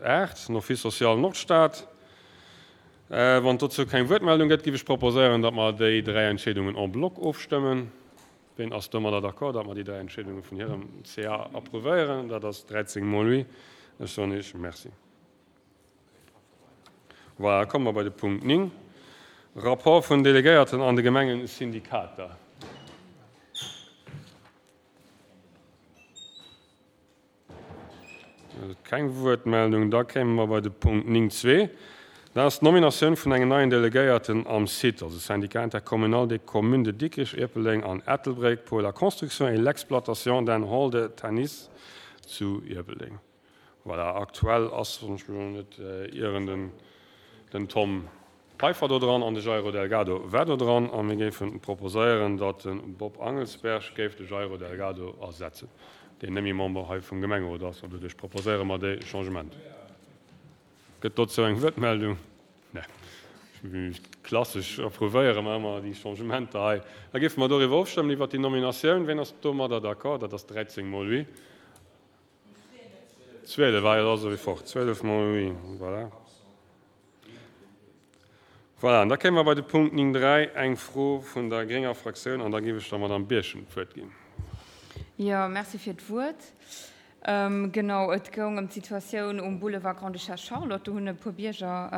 8, den Office social Nordstad. Wann et dozou keng Wuertmeldung gëtt, géif ech proposéieren, datt mer déi 3 Entscheedungen en bloc ofstëmmen. Ween ass domadder d'accord, datt mer déi 3 Entscheedunge vun hirem CA approuvéieren? Dat ass 13 mol oui. Ech soen Iech Merci. Voilà, da komme mer bei de Punkt 9, Rapport vun Delegéierten an de Gemengesyndikater. Keng Wuertmeldung. Da kéime mer bei de Punkt 9.2. Dat ass d'Nominatioun vun engem neien Delegéierten am CITE, also Syndicat intercommunal des communes de Dikrich, Ierpeldeng an Ettelbréck, pour la construction et l'exploitation d'un hall de tennis zu Ierpeldeng. Voilà, aktuell ass, wann ech mech elo net ieren, den den Tom Peiffer do dran an de Jairo Delgado war do dran. A mir géife proposéieren, datt de Bob Angelsberg géif de Jairo Delgado ersetzen, deen net méi Member hei vum Gemengerot ass. An doduerch proposéiere mer dee Changement. Gëtt dozou eng Wuertmeldung? Nee. Klassesch approuvéiere mer ëmmer déi Changementer hei. Da géife mer doriwwer ofstëmmen, iwwert déi Nominatioun. Ween ass domadder d'accord? Dat ass 13 mol oui. 12, ah jo, da ass e fort. 12 mol oui, voilà. Voilà, an da kéime mer bei de Punkt 9, 3, eng Fro vun der grénger Fraktioun, an da géif ech der Madamm Birchen d'Wuert ginn. Jo, merci fir d'Wuert. Genau, et goung ëm d'Situatioun um Boulevard Grande-Duchesse Charlotte. Do hunn e puer Bierger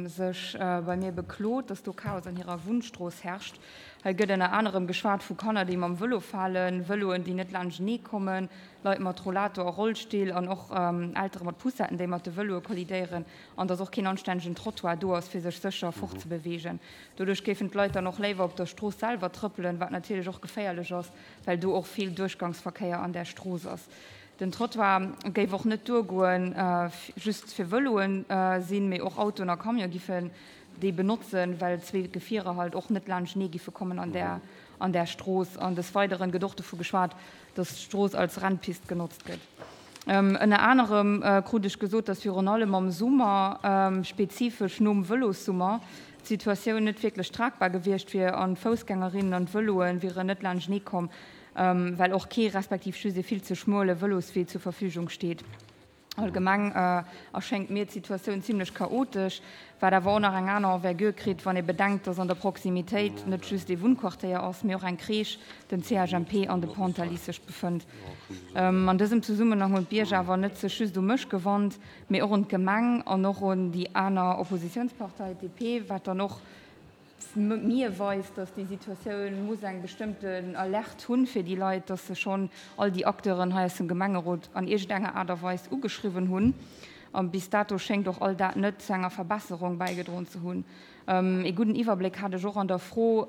sech bei mir beklot, dass do Chaos an hirer Wunnstrooss herrscht. Hei gëtt ënner anerem geschwat vu Kanner, déi mam Vëlo falen, Vëloen, déi net laanschtenee kommen, Leit mat Rollator a Rollstill an och Eltere mat Poussetten, déi mat de Vëloe kollidéieren, an dass och keen anstännegen Trottoir do ass, fir sech sécher fortzebeweegen. Doduerch géifen d'Leit dann och léiwer op der Strooss selwer trëppelen, wat natierlech och geféierlech ass, well do och vill Duerchgangsverkéier an där Strooss ass. Den Trottoir géif och net duergoen, just fir Vëloen sinn, mee och Autoen a Camione giffen déi benotzen, well zwee Gefierer halt och net laanschtenee giffe kommen an där an där Strooss. An des Weideren gëtt och dovu geschwat, dass d'Strooss als Rennpist genotzt gëtt. Ënner anerem krut ech gesot, dass virun allem am Summer, spezifesch nom Vëlossummer, d'Situatioun net wierklech tragbar gewiescht wier an d'Foussgängerinnen an d'Vëloe wieren net laanschtenee komm, well och kee respektiv just ee vill ze schmuele Vëloswee zur Verfügung steet. Allgemeng erschéngt mir d'Situatioun zimlech chaotesch, wat awer och nach eng aner Envergure kritt, wann ee bedenkt, dass an der Proximitéit net just ee Wunnquartéier ass, mee och eng Crèche, den CHMP an de Pontalize sech befënnt. An dësem Zesummenhang hunn d'Bierger awer net sech just u mech gewannt, mee och un d'Gemeng an och un déi aner Oppositiounspartei, d'DP, wat dann och mir weist, dass déi Situatioun muss eng bestëmmten Alerte hunn fir déi Leit, dass se schonn all déi Acteuren hei aus dem Gemengerot an iergendenger Aart a Weis ugeschriwwen hunn. A bis dato schéngt och all dat net zu enger Verbesserung bäigedroen ze hunn. Ee gudden Iwwerbléck hat ech och an der Fro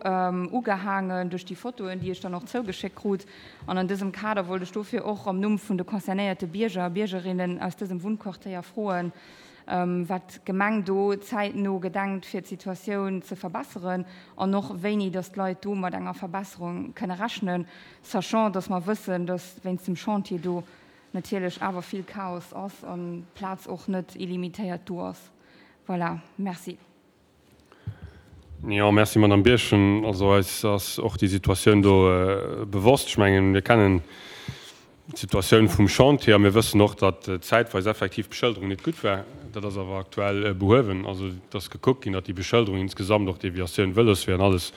ugehaangen duerch déi Fotoen, déi ech dann och zougeschéckt krut. An an dësem Kader wollt ech dofir och am Numm vun de concernéierte Bierger a Biergerinnen aus dësem Wunnquartéier froen, wat d'Gemeng do zäitno gedenkt fir d'Situatioun ze verbesseren an och wéini datt d'Leit do mat enger Verbesserung kënne rechnen, sachant datt mer wëssen, datt wéinst dem Chantier do natierlech awer vill Chaos ass an d'Plaz och net illimitéiert do ass. Voilà, merci. Jo, merci Madame Birchen. Also eis ass och déi Situatioun do bewosst. Ech mengen, mir kennen d'Situatioun vum Chantier a mir wëssen och, datt zäitweis effektiv d'Beschëlderung net gutt war. Dat ass awer aktuell behuewen. Also et ass gekuckt ginn, datt déi Beschëlderung insgesamt, och d'Deviatioun Vëloswee an alles,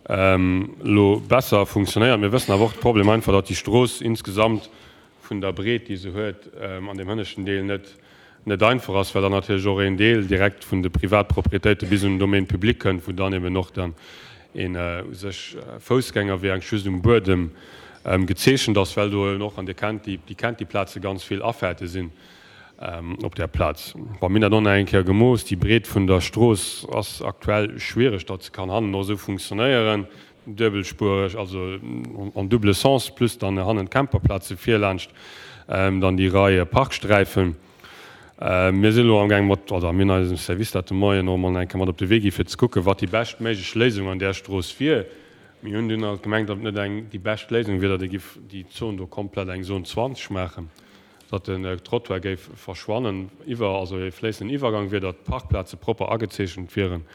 elo besser funktionéiert. Mir wëssen awer och de Problem einfach, datt déi Strooss insgesamt vun der Breet, déi se huet, an deem hënneschten Deel net net einfach ass, well dann natierlech och een Deel direkt vun de Privatpropriétéite bis un den Domaine public kënnt, wou dann eben och dann een u sech Foussgängerwee eigentlich just um Buedem gezeechent ass, well do eben och, an Dir kennt déi, Dir kennt déi Plaze, ganz vill Afaarte sinn op där Plaz. Bon, mir hunn dat och nach eng Kéier gemooss, déi Breet vun der Strooss ass aktuell schwiereg, datt se kann hannen och esou funktionéieren, duebelspuereg, also en double sens, plus dann hannen d'Camperplaze virlaanscht dann déi Rei Parksträifen. Mir sinn elo amgaang mat, oder mir hunn eisem Service dat de Moien och emol nach eng Kéier mat op de Wee gi fir ze kucken, wat déi beschtméiglech Léisung an där Strooss wier. Mir hunn dunn alt gemengt, datt et net eng déi bescht Léisung wier, datt ee giff déi Zon do komplett eng Zone 20 maachen. datt den Trottoir géif verschwannen, iwwer, also e fléissenden Iwwergang wier, datt d'Parkplaze propper agezeechent wieren,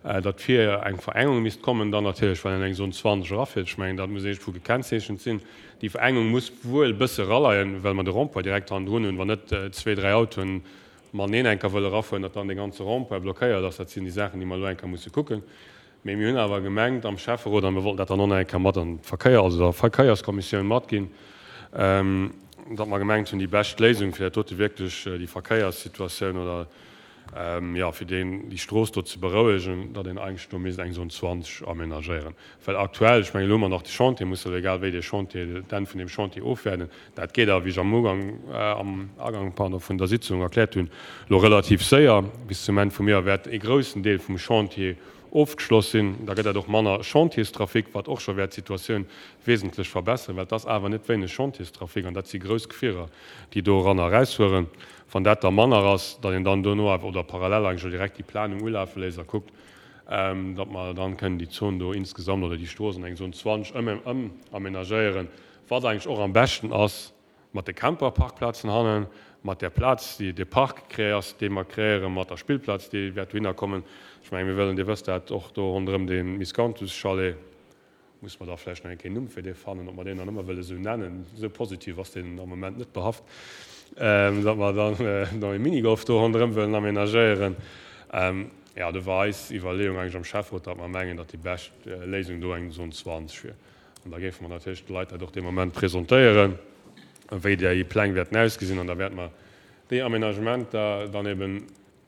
datt vir eng Verengung misst kommen, dann natierlech, well en eng Zone 20 erafiert, ech mengen, dat muss iergendwou gekennzeechent sinn. Déi Verengung muss wuel e bësse eraleien, well mer de Rond-point direkt hannendrun hunn, wann net zwee, dräi Autoen. mateneen eng Kéier wëlle erafueren, datt dann dee ganze Rond-point blockéiert ass. Dat sinn déi Saachen, déi mer elo eng Kéier musse kucken. Mee mir hunn awer gemengt am Schäfferot, a mir wollten dat dann och nach eng Kéier mat an d'Verkéier, also der Verkéierskommissioun matginn, datt mer gemengt hunn, déi bescht Léisung fir dat dote wierklech déi Verkéierssituatioun oder, jo, fir deen, déi Strooss do ze berouegen, datt een eigentlech do misst eng Zone 20 aménagéieren. Well aktuell, ech mengen, elo hu mer nach de Chantier, muss elo egal wéi dee Chantier, d'Enn vun deem Chantier ofwäerden. Dat geet awer, wéi ech am Ugang, am Agang, pardon, vun der Sitzung erkläert hunn, elo relativ séier. Bis zum Enn vum Joer wäert e groussen Deel vum Chantier ofgeschloss sinn. Da gëtt dat och manner Chantierstrafic, wat och scho wäert d'Situatioun wesentlech verbesseren, well et ass awer net wéineg Chantierstrafic an dat si grouss Gefierer, déi do eran a erausfueren. Wann dat da manner ass, datt een dann dono awer oder parallel eigentlech och direkt déi Planung ulafe léisst a kuckt, datt mer dann kënnen déi Zon do insgesamt oder déi Strooss an eng Zon 20 ëmaménagéieren, wat eigentlech och am beschten ass mat de Camperparkplazen hannen, mat där Plaz, déi de Park créé ass, dee mer crééieren, mat der Spillplaz, déi wäert dohinner kommen. Ech mengen, mir wëllen, Dir wësst dat, och do ronderëm dee Miscanthus-Chalet, Muss mer da vläicht nach eng Kéier en Numm fir dee fannen, ob mer deen dann ëmmer wëlle sou nennen, esou positiv ass deen am Moment net behaft, datt mer dann nach e Minigolf do ronderëm wëllen aménagéieren. Jo, do war eis Iwwerleeung eigentlech am Schäfferot, datt mer mengen, datt déi bescht Léisung do eng Zone 20 wier. An da géife mer natierlech de Leit dat och dee Moment presentéieren, wéi déi Pläng wäerten ausgesinn. An da wäerte mer déi Aménagementer dann ebe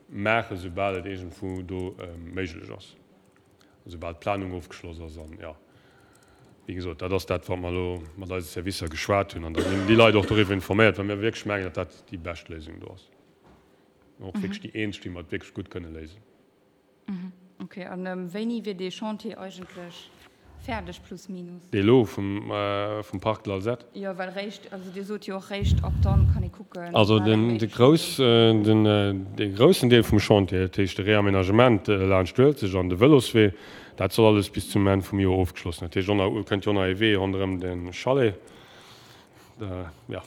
maachen, soubal et iergendwou do méiglech ass. Esoubal d'Planung ofgeschloss ass. An, jo, wéi gesot, dat ass dat, wat mer elo mat eise Servicer geschwat hunn. An da sinn déi Leit och doriwwer informéiert, well mir wierklech mengen, datt dat déi bescht Léisung do ass. An och wierklech déi eenzeg, déi mer et wierklech gutt kënne léisen. Okay. An wéini wier dee Chantier eigentlech Fäerdeg, plus minus. Dee lo vum Parc de l'Alzette? Jo, well réischt, also Dir sot jo och, réischt ab dann kann ee kucken. Also den de grouss, den dee groussen Deel vum Chantier, dat heescht de Réaménagement laanscht d'Uelzecht an de Vëloswee, dat soll alles bis zum Enn vum Joer ofgeschloss sinn. Dat heescht, och kënnt jo och nach ee Wee ronderëm de Chalet, jo,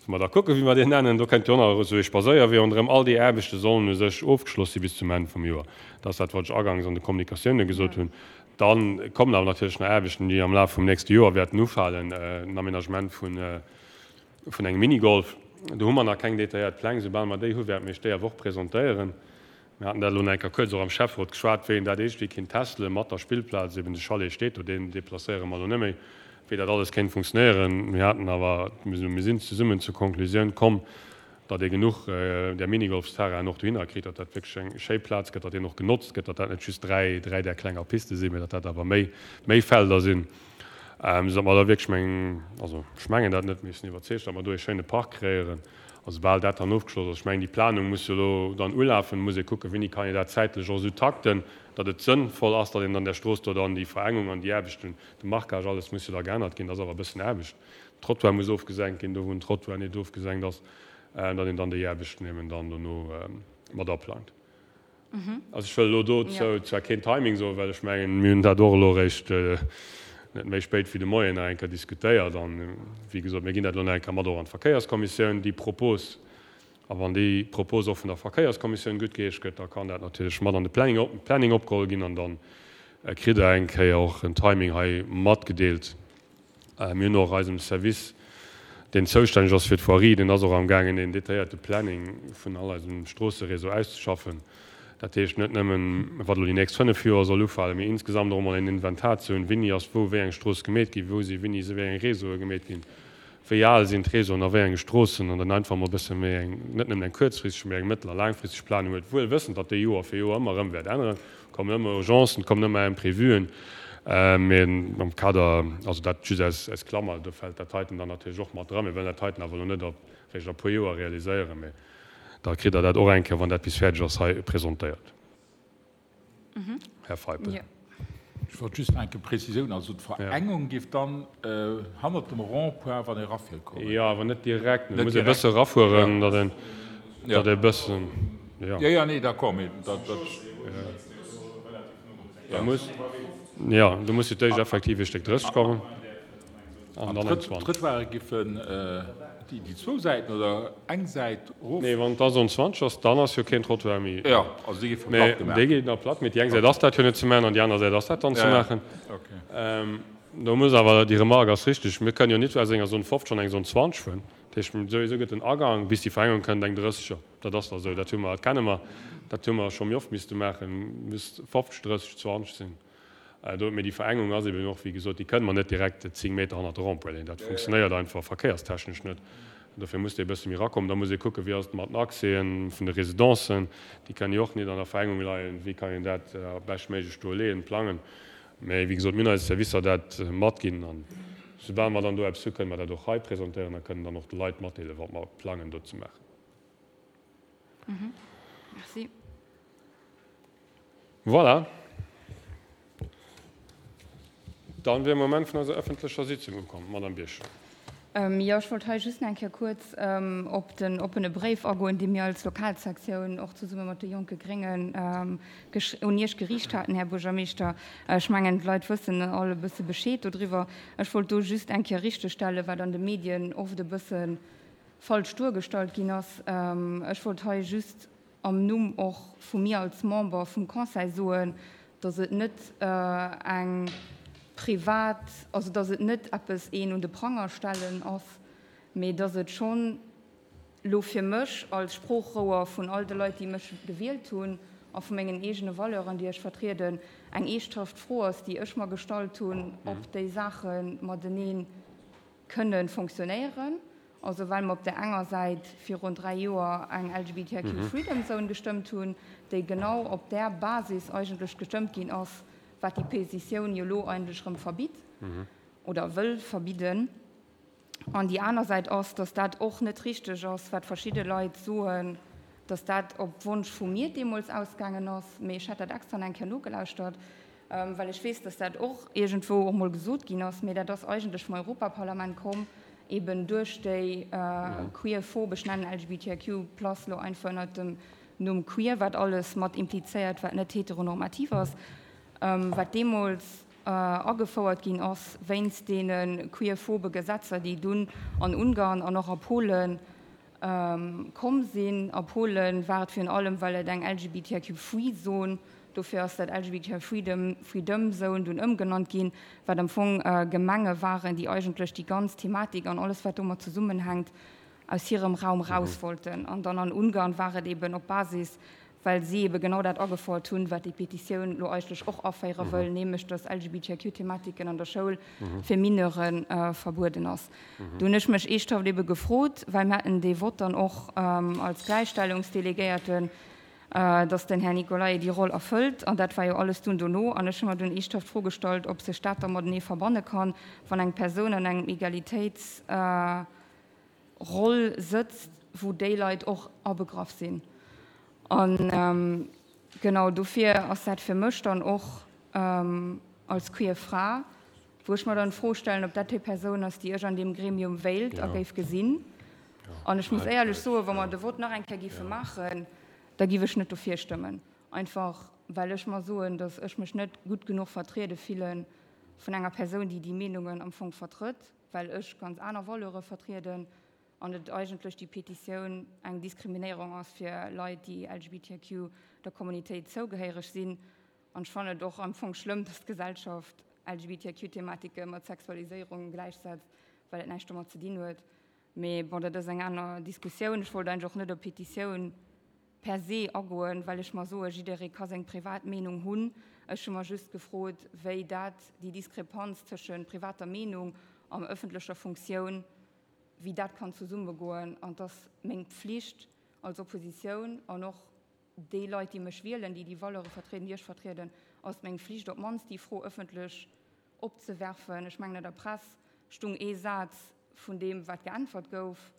Musse mer da kucken, wéi mer deen nennen. Do kënnt jo och nach esou ee Spadséierwee ronderëm. All déi Aarbechte sollen u sech ofgeschloss si bis zum Enn vum Joer. Dat ass dat, wat ech agangs an de Kommunikatioune gesot hunn. Da kommen awer natierlech nach Aarbechten, déi am Laf vum nächste Joer wäerten ufalen, den Aménagement vun engem Minigolf. Do hu mer nach keng detailléiert Pläng. Soubal mer déi hu wäerte mir iech déi awer och presentéieren. Mir haten dat elo nach eng Kéier kuerz och am Schäfferot geschwat, wéi een dat iergendwéi kéint testelen mat der Spillplaz, eben de Chalet steet do, deen deplacéiere mer elo net méi, wéi dat alles kéint funktionéieren. Mir haten awer, mir sinn zesummen zur Konklusioun komm, datt ee genuch där Minigolfsterrainen och dohinner kritt, datt dat wierklech eng schéi Plaz gëtt, datt deen och genotzt gëtt, datt dat net just 3, 3 där klenger Piste sinn, mä datt dat awer méi, méi Felder sinn, esou datt mer da wierklech mengen, also ech mengen dat net, mee ech sinn iwwerzeegt, datt mer do ee schéine Park kreéieren. A soubal dat dann ofgeschloss ass, ech mengen, déi Planung muss jo elo dann ulafen, muss ee kucken, wéini kann een dat zäitlech och esou takten, datt et sënnvoll ass, datt een an där Strooss do dann déi Verengung an déi Aarbechten, de Marquage, alles muss jo da geännert ginn, dat ass awer e bëssen Aarbecht, den Trottoir muss ofgesenkt ginn, do wou den Trottoir net ofgesenkt ass, datt een dann déi Aarbechten eben dann dono mat aplangt. Also ech wëll elo dozou zwar keen Timing soen, well ech mengen, mir hunn dat och elo eréischt net méi spéit wéi de Moien nach eng Kéier diskutéiert. An, wéi gesot, mir ginn dat elo nach eng Kéier mat och an d'Verkéierskommissioun, déi Propos. A wann déi Propos och vun der Verkéierskommissioun guttgeheescht gëtt, da kann dat natierlech mat an de Planning op, Planning opgeholl ginn an dann kritt Der eng Kéier och en Timing hei matgedeelt. Mir hunn och eisem Service, deen zoustänneg ass fir d'Voirie, deen ass och amgaangen een detailléierte Planning vun all eisem Stroosseréseau auszeschaffen. Dat heescht net nëmmen, wat elo déi nächst 5 Joer soll ufalen, mee insgesamt och emol een Inventar ze hunn, wéini ass wou wéi eng Strooss gemeet ginn, wou si wéini wéi eng Réseaue gemeet ginn, wéi al sinn d'Réseauen a wéi enge Stroossen, an dann einfach emol e bësse méi eng, net nëmmen eng kuerzfristeg, mee eng mëttel a laangfristeg Planung huet, wuel wëssend, datt déi Joer fir Joer ëmmer erëm wäert änneren. Et kommen ëmmer Urgencen, et kommen ëmmer Imprévuen, mee am Kader, also dat just aus, aus Klammer, do fält dat heiten dann natierlech och mat dran. Mir wëllen dat heiten awer elo net op réischt a puer Joer realiséieren, mee da kritt Der dat och eng Kéier, wann dat bis fäerdeg ass, hei presentéiert. Här Feipel. Ech wollt just nach eng Prezisioun, also d'Verengung géif dann hannert dem Rond-point, wann ee erafiert, kommen? Jo, awer net direkt. Et muss ee bësse erafueren, datt een, datt ee bëssen, jo. Jo, jo, nee, d'accord, mee dat, dat. Da muss, jo, do muss fir d'éischt effektiv ee Stéck 30 kommen an dann eng 20. D'Trëttoire giffen déi zwou Säiten oder eng Säit erof? Nee, wann et Zone 20 ass, dann ass jo keen Trottoir méi. Jo, also déi géife platt gemaach. Déi ginn da platt, mee déi eng Säit ass dat jo net ze maachen an déi aner Säit ass dat dann ze maachen. Do muss awer, déi Remarque ass richtig, mir kënnen jo nit aus enger Zone 50 an eng Zone 20 fueren. Dat heescht, souwisou gëtt den Agang, bis déi Verengung kënnt, eng 30 er. Dat ass da esou, dat hu mer, dat kenne mer, dat hu mer scho méi oft misste maachen, muss 50, 30, 20 sinn. Do, mee déi Verengung ass eben och, wéi gesot, déi kënne mer net direkt 10 Meter hannert de Rond-point leeën. Dat funktionéiert einfach verkéierstechnesch net. Dofir muss dee e bësse méi erakommen. Da muss ee kucken, wéi ass et mat den Accèsen vun de Residencen, déi kënnen jo och net an der Verengung leien. Wéi kann een dat beschtméiglech do leeën, plangen? Mee wéi gesot, mir hunn eise Servicer dat matginn an soubal mer dann do eppes hu, kënne mer dat och hei presentéieren a kënnen dann och de Leit matdeelen, wat mer plangen do ze maachen. Merci. Voilà. Dann wier Moment vun eiser ëffentlecher Sitzung ukomm. Madame Birchen. Jo, ech wollt hei just nach eng Kéier kuerz op den oppene Bréif agoen, dee mir als Lokalsektioun och zesumme mat de Jonke Gréngen un Iech geriicht haten, Här Buergermeeschter. Ech mengen, d'Leit wëssen all e bësse Bescheed dodriwwer. Ech wollt do just eng Kéier richtegstellen, wat an de Medien oft e bësse falsch duergestallt ginn ass. Ech wollt hei just am Numm och vu mir als Member vum Conseil soen, dass et net eng privat, also dass et net eppes een un de Pranger stellen ass, mee dass et schonn elo fir mech als Sproochrouer vun all de Leit, déi mech gewielt hunn, a vu mengen eegene Valeuren, déi ech vertrieden, eng eeschthaft Fro ass, déi ech mer gestallt hunn, ob déi Saache matenee kënne fonctionnéieren. Also well mer op där enger Säit virun 3 Joer eng LGBTIQ Freedom Zone gestëmmt hunn, déi genau op där Basis eigentlech gestëmmt ginn ass, wat déi Petitioun jo elo eigentlech erëm verbitt oder wëll verbidden. An déi aner Säit ass, dass dat och net richteg ass, wat verschidde Leit soen, dass dat op Wonsch vu mir deemools ausgaangen ass. Mee ech hat dat extra nach eng Kéier nogelauschtert, well ech weess, dass dat och iergendwou och mol gesot ginn ass. Mee dat ass eigentlech vum Europaparlament komm, eben duerch déi queerphob, ech nennen LGBTIQ plus elo einfach ënnert dem Numm queer, wat alles mat implizéiert, wat net heteronormativ ass, wat deemools agefouert ginn ass wéinst deene queerphobe Gesetzer, déi dunn an Ungarn an och a Polen Komm sinn. A Polen war et virun allem, well et eng LGBTIQ Free Zone, dofir ass dat LGBTIQ Freedom, Freedom Zone dunn ëmgenannt ginn, wat am Fong Gemenge waren, déi eigentlech déi ganz Thematik an alles wat domat zesummenhänkt aus hirem Raum raus wollten. An dann an Ungarn war et eben op Basis well si ebe genau dat agefouert hunn, wat déi Petitioun elo eigentlech och aféiere wëll, nämlech dass LGBTIQ-Thematiken an der Schoul fir Mineure verbueden ass. Do hunn ech mech eeschthaft ebe gefrot, well mir haten dee Vott dann och als Gläichstellungsdelegéierten, dass den Här Nicolae déi Roll erfëllt, an dat war jo alles dunn dono, an ech hu mer dunn eeschthaft d'Fro gestallt, ob sech dat da matenee verbanne kann, wann eng Persoun an engem Egalitéits. Roll sëtzt, wou déi Leit och abegraff sinn. A genau dofir ass dat fir mech dann och als queer Fra, wou ech mer dann d'Fro stellen, ob dat déi Persoun ass, déi ech an deem Gremium wéilt a géif gesinn. An ech muss éierlech soen, wa mer de Vott nach eng Kéier géife maachen, da giff ech net dofir stëmmen. Einfach well ech mer soen, datt ech mech net gutt genuch vertriede fille vun enger Persoun, déi déi Meenungen am Fong vertrëtt. well ech ganz aner Valeure vertrieden an et eigentlech déi Petitioun eng Diskriminéierung ass fir Leit, déi LGBTQ der Kommunitéit zougehéiereg sinn. An ech fannen et och am Fong schlëmm, dass d'Gesellschaft LGBTQ-Thematike mat Sexualiséierung gläichsetzt, well et näischt domat ze dinn huet. Mee bon, dat ass eng aner Diskussioun. Ech wollt eigentlech och net op d'Petitioun per se agoen, well ech mer soen, jidderee ka seng privat Meenung hunn. Ech hu mer just gefrot, wéi dat, déi Diskrepanz tëschent privater Meenung an ëffentlecher Funktioun, wéi dat kann zesummegoen. An et ass meng Pflicht als Oppositioun an och déi Leit, déi mech wielen, déi déi Valeure vertrieden, déi ech vertrieden, ass et meng Flicht, op d'mannst déi Fro ëffentlech opzewerfen. Ech mengen, an der Press stung ee Saz vun deem, wat geäntwert gouf.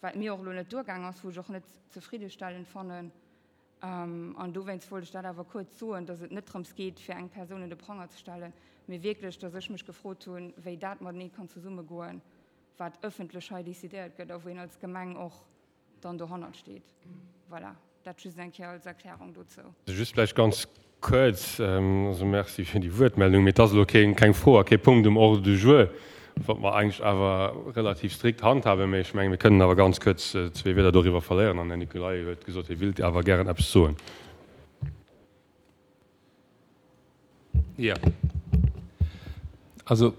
wat mir och elo net duergaang ass, wou ech och net zefriddestellend fannen. An dowéinst wollt ech dat awer kuerz soen, dass et net drëms geet, fir eng Persoun un de Pranger ze stellen, mee wierklech, dass ech mech gefrot hunn, wéi dat matenee kann zesummegoen, wat ëffentlech hei decidéiert gëtt a wou een als Gemeng och dann dohannert steet. Voilà. Dat just eng Kéier als Erklärung dozou. Just vläicht ganz kuerz, also Merci fir déi Wuertmeldung, mee et ass elo keng Fro a kee Punkt um Ordre du jour, wat mer eigentlech awer relativ strikt handhaben. Mee ech mengen, mir kënnen awer ganz kuerz zwee Wierder doriwwer verléieren an den Här Nicolaï huet gesot, hie willt awer gären eppes soen. Jo. Also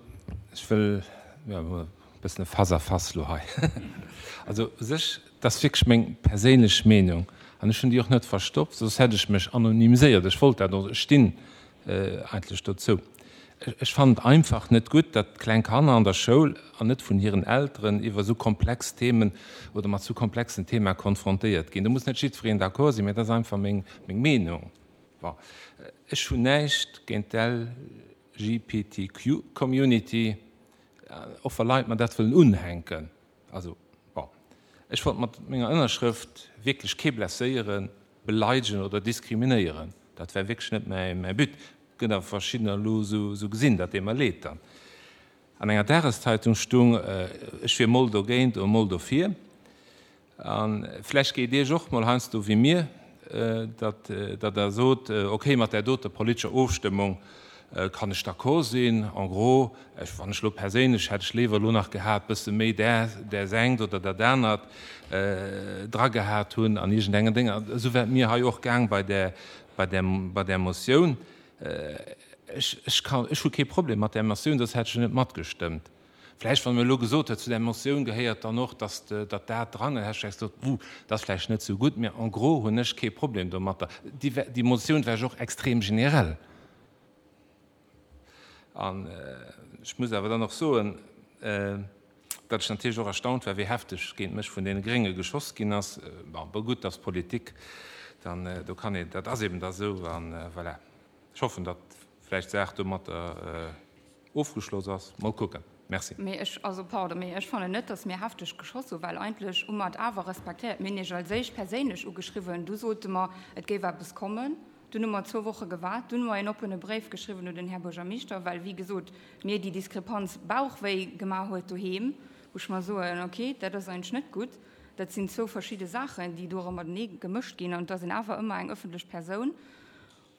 ech wëll, jo, e bëssen e Face à face elo hei. Also u sech, dat ass wierklech meng perséinlech Meenung an ech hunn déi och net verstoppt, soss hätt ech mech anonymiséiert. Ech wollt dat och, ech stinn eigentlech dozou. Ech fannen et einfach net gutt, datt kleng Kanner an der Schoul an net vun hiren Elteren iwwer esou komplex Themen oder mat esou komplexen Thema konfrontéiert ginn. Do muss net jiddwereen d'accord sinn, mä dat ass einfach meng Meenung. Bon, ech hunn näischt géint d'LGBTQ-Community, och wa Leit mer dat wëllen unhänken. Also, bon, ech wollt mat menger Ënnerschrëft wierklech kee blesséieren, beleidegen oder diskriminéieren. Dat war wierklech net mäi But. Gëtt awer verschiddener elo esou gesinn, dat deet mer leed dann. An enger Dageszeitung stung, ech wier mol dogéint oder mol dofir. A vläicht geet Iech och mol heiansdo wéi mir, datt Der sot, okay, mat där doter politescher Ofstëmmung kann ech d'accord sinn, en gros, ech, wann ech elo perséinlech, hätt ech léiwer elo nach gehat, bësse méi där, där engt oder dat anert dra gehat hunn an iergendengen Dénger. Esou war et mir hei och gaang bei där, bei där, bei där Motioun. Ech, ech kann, ech hu kee Problem mat där Motioun, soss hätt ech jo net matgestëmmt. Vläicht, wann e elo gesot huet, zu där Motioun gehéiert dann och, dass datt dat dran, dann hätt ech vläicht gesot, Ouh, dat ass vläicht net esou gutt, mä en gros hunn ech kee Problem domatter. Déi, déi Motioun war jo och extrem generell. An ech muss awer dann och soen, datt ech natierlech och erstaunt war, wéi hefteg géint mech vun deene Grénge geschoss ginn ass. Bon, bon gutt, dat ass Politik, dann do kann een, dat ass eben da esou an voilà. Ech hoffen, datt vläicht d'Saach domatter ofgeschloss ass. Mol kucken. Merci. Mee ech, also pardon, mee ech fannen net, datt mir hefteg geschoss hu, well eigentlech hu mer et awer respektéiert. Mir hunn Iech als éischt perséinlech ugeschriwwen, du sote mer, et géif eppes kommen. Dunn hu mer zwou Woche gewaart, dunn hu mer een oppene Bréif geschriwwen un den Här Buergermeeschter, well, wéi gesot, mir déi Diskrepanz Bauchwéi gemaach huet doheem, wou ech mer soen, okay, dat ass eigentlech net gutt. Dat sinn zwou verschidde Saachen, déi do erëm matenee gemëscht ginn an et ass een awer ëmmer eng ëffentlech Persoun.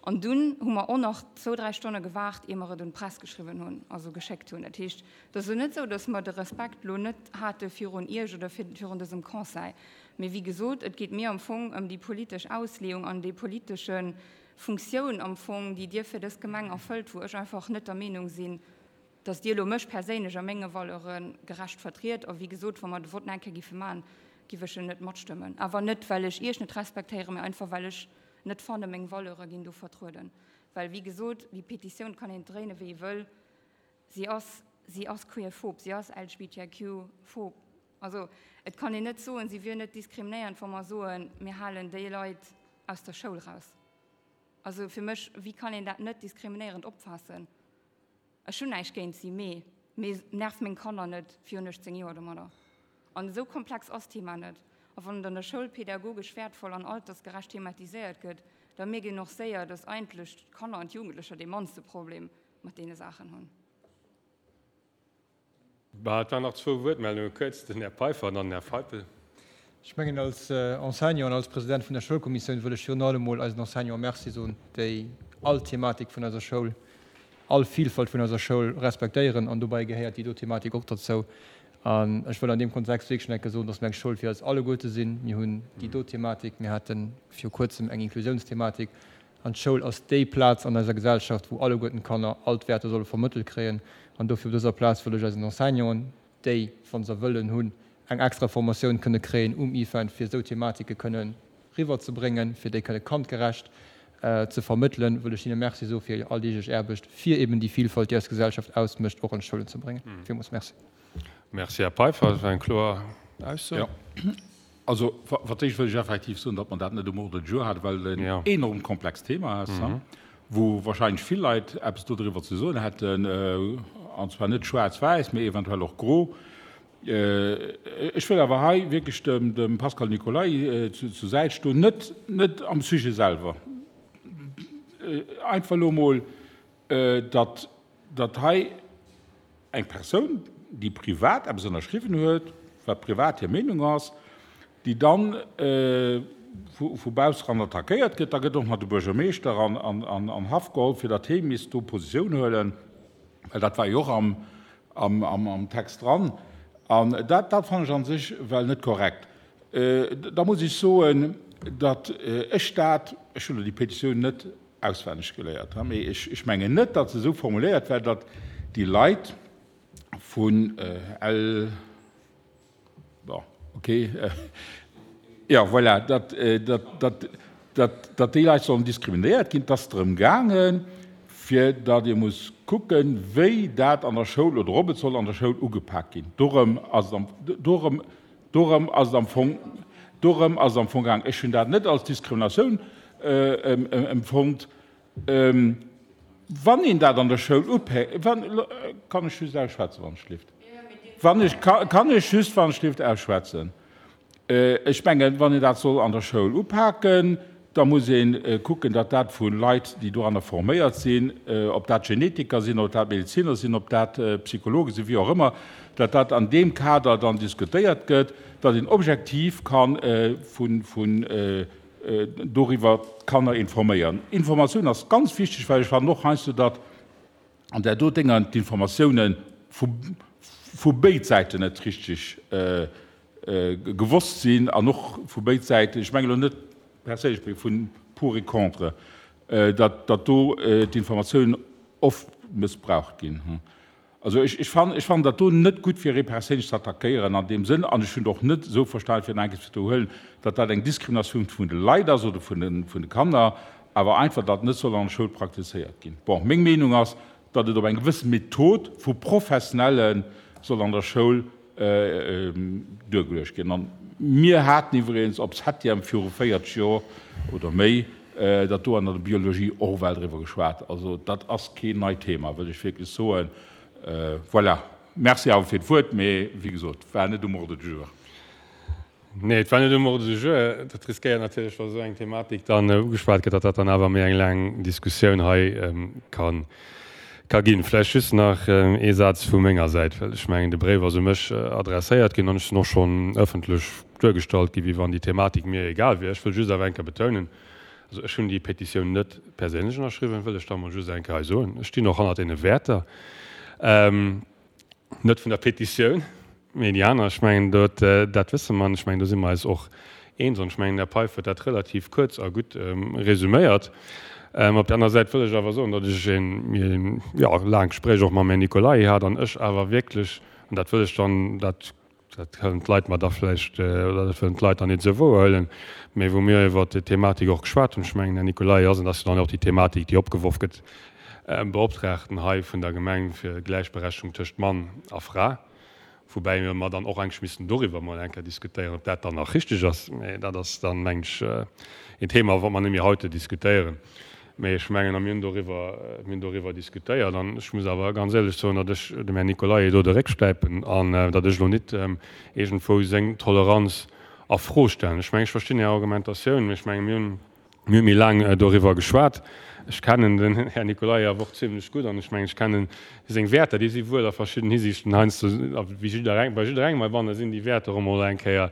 An dunn hu mer och nach zwou, dräi Stonne gewaart, ier mer et un d'Press geschriwwen hunn, also geschéckt hunn. Dat heescht, et ass elo net esou, datt mer de Respekt elo net hate virun Iech oder virun dësem Conseil. Mee wéi gesot, et geet mir am Fong ëm déi politesch Ausleeung an déi politesche Funktioun am Fong, déi Dir fir dës Gemeng erfëllt, wou ech einfach net der Meenung sinn, datt Dir elo mech perséinlech a menge Valeure gerecht vertriet. A wéi gesot, wa mer de Vott nach eng Kéier géife maachen, géif ech en net matstëmmen. Awer net, well ech Iech net respektéieren, mee einfach, well ech net fanne meng Valeure ginn do vertrueden. Well, wéi gesot, déi Petitioun kann een dréine wéi ee wëll, si ass, si ass queerphob, si ass LGBTIQ-phob. Also et kann een net soen, si wier net diskriminéiernd, wa mer soen, mir halen déi Leit aus der Schoul raus. Also fir mech, wéi kann een dat net diskriminéierend opfaassen? Ech hunn näischt géint si, mee mee nerv meng Kanner net virun 18 Joer domadder. An esou komplex ass d'Thema net. A wann et an der Schoul pädagogesch wäertvoll an altersgerecht thematiséiert gëtt, da mierkt een och séier, dass eigentlech d'Kanner an d'Jugendlecher dee mannste Problem mat deene Saachen hunn. Bah, et waren nach zwou Wuertmeldungen, kuerz, den Här Peiffer an dann den Här Feipel. Ech mengen, als Enseignant an als President vun der Schoulkommissioun wëll ech virun allem emol eisen Enseignanten Merci soen, déi all Thematik vun eiser Schoul, all Vielfalt vun eiser Schoul respektéieren. An dobäi gehéiert déi do Thematik och derzou. An ech wëll an deem Kontext wierklech nach eng Kéier soen, dass mir eng Schoul fir eis alleguerte sinn. Mir hunn déi do Thematik, mir hate viru Kuerzem eng Inklusiounsthematik. An d'Schoul ass déi Plaz an eiser Gesellschaft, wou alleguerten d'Kanner all d'Wäerter solle vermëttelt kréien. An dofir op dëser Plaz wëll ech eisen Enseignanten, déi, wa se wëllen hunn, eng extra Formatioun kënne kréien um IFEN, fir esou Thematike kënne riwwerzebréngen, fir déi kënne kandgerecht ze vermëttelen, wëll ech hinne Merci soe fir hir alldeeglech Aarbecht, fir eben déi Vilfalt, déi eis Gesellschaft ausmécht, och an d'Schoulen ze bréngen. Villmools Merci. Merci, Här Peiffer. Dat war eng kloer Ausso. Jo. Also, fir d'éischt wëll ech effektiv soen, datt mer dat net um Ordre du jour haten, well et en enorm komplext Thema ass, wou wahrscheinlech vill Leit eppes dodriwwer ze soen hätten, an zwar net schwaarz-wäiss, mee eventuell och gro. Ech wëll awer hei wierklech dem Pascal Nicolay zur Säit stoen, net, net am Sujet selwer, einfach elo emol, datt, datt hei eng Persoun, déi privat eppes ënnerschriwwen huet, wat privat hir Meenung ass, déi dann vu bausseran attackéiert gëtt, da gëtt och nach de Buergermeeschter an Haft geholl, fir datt hee misst do Positioun huelen, well dat war jo och am Text dran. An dat fannen ech a sech well net korrekt. Da muss ech soen, datt ech dat, ech hunn elo déi Petitioun net auswenneg geléiert, mee ech mengen net, datt se esou formuléiert war, datt. déi Leit vun L. Bon, ok. Jo, voilà, datt, datt, datt, datt déi Leit sollen diskriminéiert ginn. Et ass drëm gaangen, fir datt ee muss kucken, wéi dat an der Schoul oder ob et soll an der Schoul ugepak ginn. Dorëm ass et am, dorëm, dorëm ass et am Fong, dorëm ass et am Fong gaangen. Ech hunn dat net als Diskriminatioun empfonnt. Wann een dat an der Schoul upé, wann, kann ech just ausschwätzen, wann ech schlift? Wann ech, kann ech just, wann ech schlift, ausschwätzen? Ech mengen, wann een dat soll an der Schoul upaken, da muss ee kucken, datt dat vu Leit, déi doranner forméiert sinn, ob dat Genetiker sinn, ob dat Medeziner sinn, ob dat Psychologe sinn, wéi och ëmmer, datt dat an deem Kader dann diskutéiert gëtt, datt een objektiv ka vun doriwwer d'Kanner informéieren. Informatioun ass ganz wichteg, well ech fannen och heiansdo, datt an där do Dénger d'Informatiounen vu béid Säiten net richteg gewosst sinn an och vu béid Säiten, ech mengen elo net perséinlech, mee vun pour et contre, datt do d'Informatiounen oft mëssbraucht ginn. Also ech, ech fannen, ech fannen dat do net gutt, fir ee perséinlech ze attackéieren an deem Sënn. An ech hunn et och net esou verstanen, fir nach eng Kéier ze widderhuelen, datt dat eng Diskriminatioun vun de Leit ass oder vun de, vun de Kanner, awer einfach, datt net soll an der Schoul praktizéiert ginn. Bon, meng Meenung ass, datt et op eng gewësse Method vu Professionelle soll an der Schoul duergeluecht ginn. An mir haten iwwregens op Septième viru 40 Joer oder méi dat do an der Biologie och well driwwer geschwat. Also dat ass keen neit Thema, wëll ech wierklech soen. Voilà. Merci awer fir d'Wuert, mee wéi gesot, war net um Ordre du jour. Nee, et war net um Ordre du jour. Dat riskéiert natierlech, wa esou eng Thematik dann ugeschwat gëtt, datt dat dann awer méi eng laang Diskussioun hei ka ginn. Vläicht just nach ee Saz vu menger Säit, well ech mengen, de Bréif ass u mech adresséiert ginn an ech sinn och schonn ëffentlech duergestallt ginn, wéi wann déi Thematik mir egal wier. Ech wëll just awer eng Kéier betounen, also ech hunn déi Petitioun net perséinlech ënnerschriwwen, wëll ech da mol just eng Kéier hei soen. Ech stinn och hannert deene Wäerter. Net vun der Petitioun, mee déi aner. Ech mengen, dat, dat wësse mer an ech mengen, do si mer eis och eens. An ech mengen, den Här Peif huet dat relativ kuerz a gutt resuméiert. Op der aner Säit wëll ech awer soen, datt ech een, jo, laangt Gespréich och mam Här Nicolay hat an ech awer wierklech, an dat wëll ech dann, dat Dat kënnen d'Leit mer da vläicht, oder dat wëllen d'Leit dann net esou wouerhuelen, mä wou mir iwwert déi Thematik och geschwat hunn, ech mengen, Här Nicolay, ass, an dat ass jo dann och déi Thematik, déi opgeworf gëtt, Beoptraagten hei vun der Gemeng fir Gläichberechtigung tëscht Mann a Fra, woubäi mer dann och eigentlech missten doriwwer emol eng Kéier diskutéieren, ob dat dann nach richtig ass, mä dat ass dann, mengen ech, een Thema, wat mer net méi haut diskutéieren. Mee ech mengen, a mir hunn doriwwer, mir hunn doriwwer diskutéiert, an ech muss awer ganz éierlech soen, datt ech dem Här Nicolaï do de Réck stäipen an datt ech elo nit iergendwou seng Toleranz a Fro stellen. Ech mengen, ech verstinn Är Argumentatioun, mee ech mengen, mir hunn, mir hu méi laang doriwwer geschwat. Ech kennen den Här Nicolaï awer och zimlech gutt an ech mengen, ech kenne seng Wäerter, déi si wuel a verschidden Hisiichten heiansdo, wéi jiddereng, bei jidderengem heibanne sinn déi Wäerter och emol eng Kéier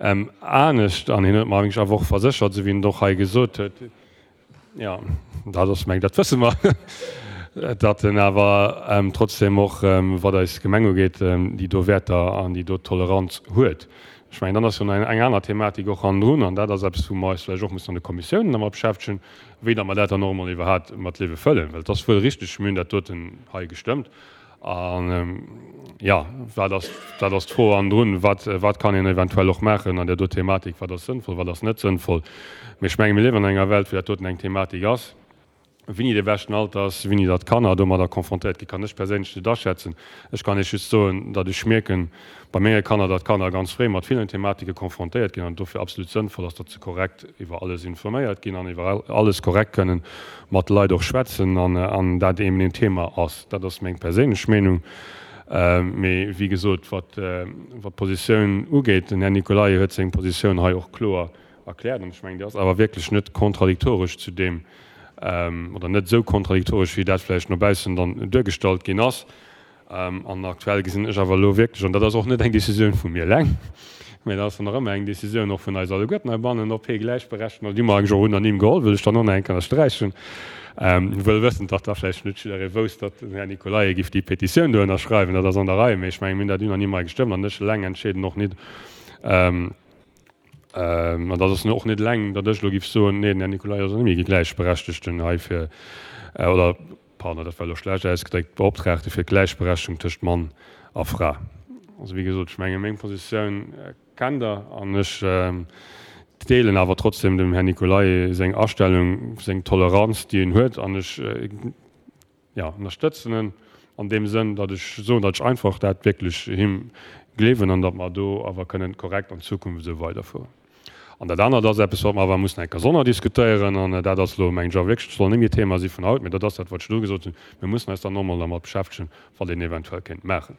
anescht. An hien huet mer eigentlech awer och verséchert, esou wéi en et och hei gesot huet, Jo, dat ass, meng, dat wësse mer, datt en awer trotzdem och, wat eis Gemeng ugeet, déi do Wäerter an déi do Toleranz huet. Ech mengen, dann ass jo nach eng aner Thematik och hannendrun, an dat ass eppes, wou mer eis vläicht och mussen an de Kommissiounen dermat beschäftegen, wéi datt mer dat dann och emol iwwerhaapt mat Liewe fëllen. Well et ass wuel richtig, mir hunn dat doten hei gestëmmt, An jo, wat ass, dat ass d'Fro hannendrun, wat, wat kann een eventuell och maachen an där do Thematik, wat ass sënnvoll, wat ass net sënnvoll. Mee ech menge mir liewen an enger Welt, wou dat doten eng Thematik ass. Wéini dee beschten Alter ass, wéini datt d'Kanner domadder confrontéiert ginn, kann ech perséinlech net aschätzen. Ech kann Iech just soen, datt ech mierken bei menge Kanner, datt d'Kanner ganz fréi mat villen Thematike confrontéiert ginn an et dofir absolut sënnvoll ass, datt se korrekt iwwer alles informéiert ginn an iwwer alles korrekt kënnen mat Leit och schwätzen an dat eben een Thema ass. Dat ass meng perséinlech Meenung. Mee wéi gesot, wat d'Positioun ugeet, den Här Nicolaï huet seng Positioun hei och kloer erkläert an ech mengen, déi ass awer wierklech net kontradiktoresch zu deem, oder net esou kontradiktoresch, wéi dat vläicht no baussen dann duergestallt ginn ass. An aktuell gesinn ech awer elo wierklech, an dat ass och net eng Décisioun vu mir eleng, mä dat ass dann nach ëmmer eng Décisioun och vun eis alleguerten heibannen, ob hie gläichberechtigt, déi hu mer eigentlech och unanim geholl, wëll ech dann och nach eng Kéier ënnersträichen, wëll wëssend, datt da vläicht net jidderee wousst, datt den Här Nicolaï giff déi Petitioun do ënnerschreiwen. Dat ass an der Rei, mä ech mengen, mir hunn dat unanim hei gestëmmt an ech eleng entscheeden och nit, an dat ass och net eleng, datt ech elo giff soen, nee, den Här Nicolaï ass net méi gläichberechtigten hei fir, oder. Pardon, dat war elo schlecht ausgedréckt, Beoptraagte fir d'Gläichberechtegung tëscht Mann a Fra. Also, wéi gesot, ech menge meng Positioun kennt Der an ech deelen awer trotzdem dem Här Nicolaï seng Astellung, seng Toleranz, déi en huet an ech, jo, ënnerstëtzen en an deem Sënn, datt ech soen, datt ech einfach dat wierklech him gleewen an datt mer do awer kënnen korrekt an Zukunft esou weiderfueren. An dat anert ass eppes, wat mer awer mussen eng Kéier sonner diskutéieren, an dat ass elo, mengen ech, awer wierklech, soll net méi Thema si vun haut, mä dat ass dat, wat ech elo gesot hunn, Mir mussen eis dann och emol dermat beschäftegen, wat een eventuell kéint maachen.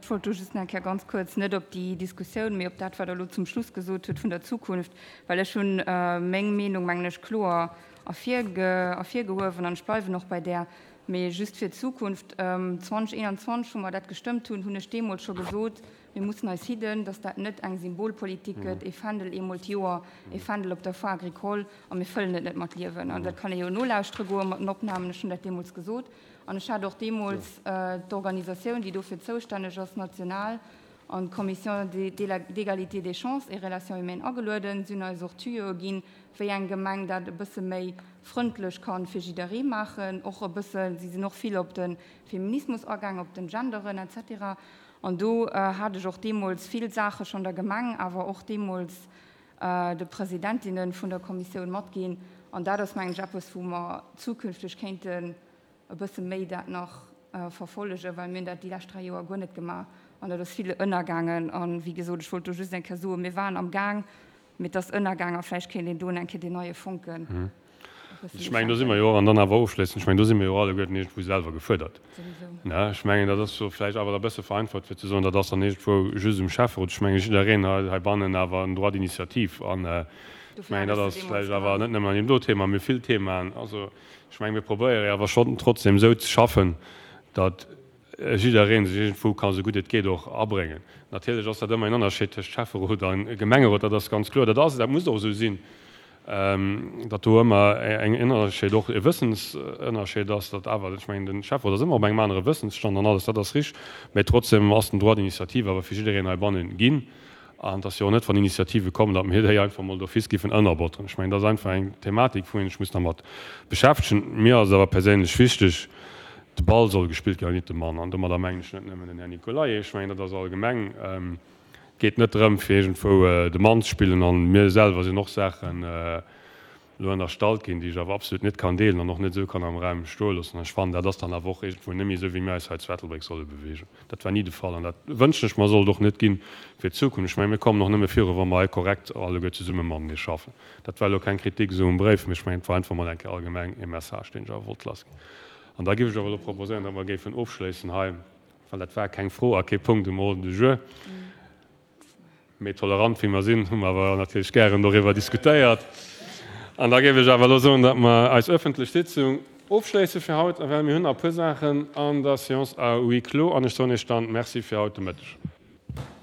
Ech wollt do just nach eng Kéier ganz kuerz, net op déi Diskussioun, mee op dat, wat Der elo zum Schluss gesot hutt vun der Zukunft, well ech hunn meng Meenung, mengen ech, kloer ervirgehuewen an ech bleiwen och bei där. Mee just fir d'Zukunft, 2021, wou mer dat gestëmmt hunn, hunn ech deemools scho gesot, Mir mussen eis hidden, dass dat net eng Symbolpolitik gëtt, ee Fändel eemol d'Joer, ee Fändel op der Foire agricole, a mir fëllen et net mat Liewen. An dat kann ee jo nolauschtere goe mat den Opnamen, ech hunn dat deemools gesot. An ech hat och deemools d'Organisatioun, déi dofir zoustänneg ass, national, an d'Commission d'égalité des chances et relations humaines agelueden. Si hunn eis och Tuyauxe ginn, wéi eng Gemeng dat e bësse méi frëndlech ka fir jidderee maachen, och e bësse, si sinn och vill op de Feminismus agaang, op den Genderen et cetera. An do hat ech och deemools vill Saache schonn der Gemeng, awer och deemools de Presidentinne vun der Kommissioun matginn. An dat ass, mengen ech, eppes, wou mer zukünfteg kéinten e bësse méi dat nach verfollegen, well mir hunn dat déi lescht 3 Joer guer net gemaach an dat ass vill ënnergaangen. A wéi gesot, ech wollt do just eng Kéier soen, mir waren am Gaang, Mee et ass ënnergaang a vläicht kéint een do eng Kéier deen neie Fonken e bëssen Ech mengen, do si mer jo och, an dann awer ofschléissend, ech mengen, do si mer jo och alleguerten iergendwou selwer gefuerdert. Souwisou. Ne? Ech mengen, dat ass jo vläicht awer da e bësse vereinfacht, fir ze soen, dat ass dann iergendwou just um Schäfferot. Ech mengen, jiddereen hei heibannen awer en Droit d'initiative. An ech mengen, dat ass vläicht awer net nëmmen an deem do Thema, mee vill Themaen. Also, ech mengen, mir probéiere jo awer schonn trotzdem esou ze schaffen, datt jidderee sech iergendwou ka sou gutt et geet och abréngen. Natierlech ass dat ëmmer een Ënnerscheed tëscht Schäfferot a Gemengerot, dat ass ganz kloer. Dat ass, dat muss och esou sinn, datt do ëmmer en Ënnerscheed, och e Wëssensënnerscheed ass, datt awer, ech mengen, de Schäfferot ass ëmmer op engem anere Wëssensstand an alles, dat ass richteg, mä trotzdem ass den Droit d'initiative awer fir jiddereen heibannen ginn. An et ass jo och net, wann Initiative kommen, datt mir déi einfach emol d'office giffen ënnerbotteren. Ech mengen, dat ass einfach eng Thematik, wou een sech muss dermat beschäftegen. Mir ass et awer perséinlech wichteg, de Ball soll gespillt ginn an net de Mann. An domadder mengen ech net nëmmen den Här Nicolaï, ech mengen, dat ass allgemeng. Et geet net drëm, fir iergendwou de Mann ze spillen. An mir selwer sinn och Saachen, elo ënnerstallt ginn, déi ech awer absolut net kann deelen an och net esou kann am Raum stoe loossen. An ech fannen, dat ass dann awer och iergendwou net méi esou, wéi mir eis hei zu Ettelbréck solle beweegen. Dat war ni de Fall an dat wënschen ech mer, soll et och net ginn fir d'Zukunft. Ech mengen, mir kommen och nëmme viru, wa mer hei korrekt alleguer zesumme matenee schaffen. Dat war elo keng Kritik esou um Bréif, mee ech mengen, et war einfach mol eng Kéier allgemeng e Message, deen ech awer wollt lassginn. An da géif ech awer elo proposéieren, datt mer géifen ofschléissen hei, well dat war keng Fro a kee Punkt um Ordre du jour. Méi tolerant wéi mer sinn, hu mer awer natierlech gären doriwwer diskutéiert. An da géif ech awer elo soen, datt mer eis öffentlech Sitzung ofschléisse fir haut, well mir hunn nach e puer Saachen an der Séance à huis clos. An ech soen Iech dann Merci fir haut de Mëtteg.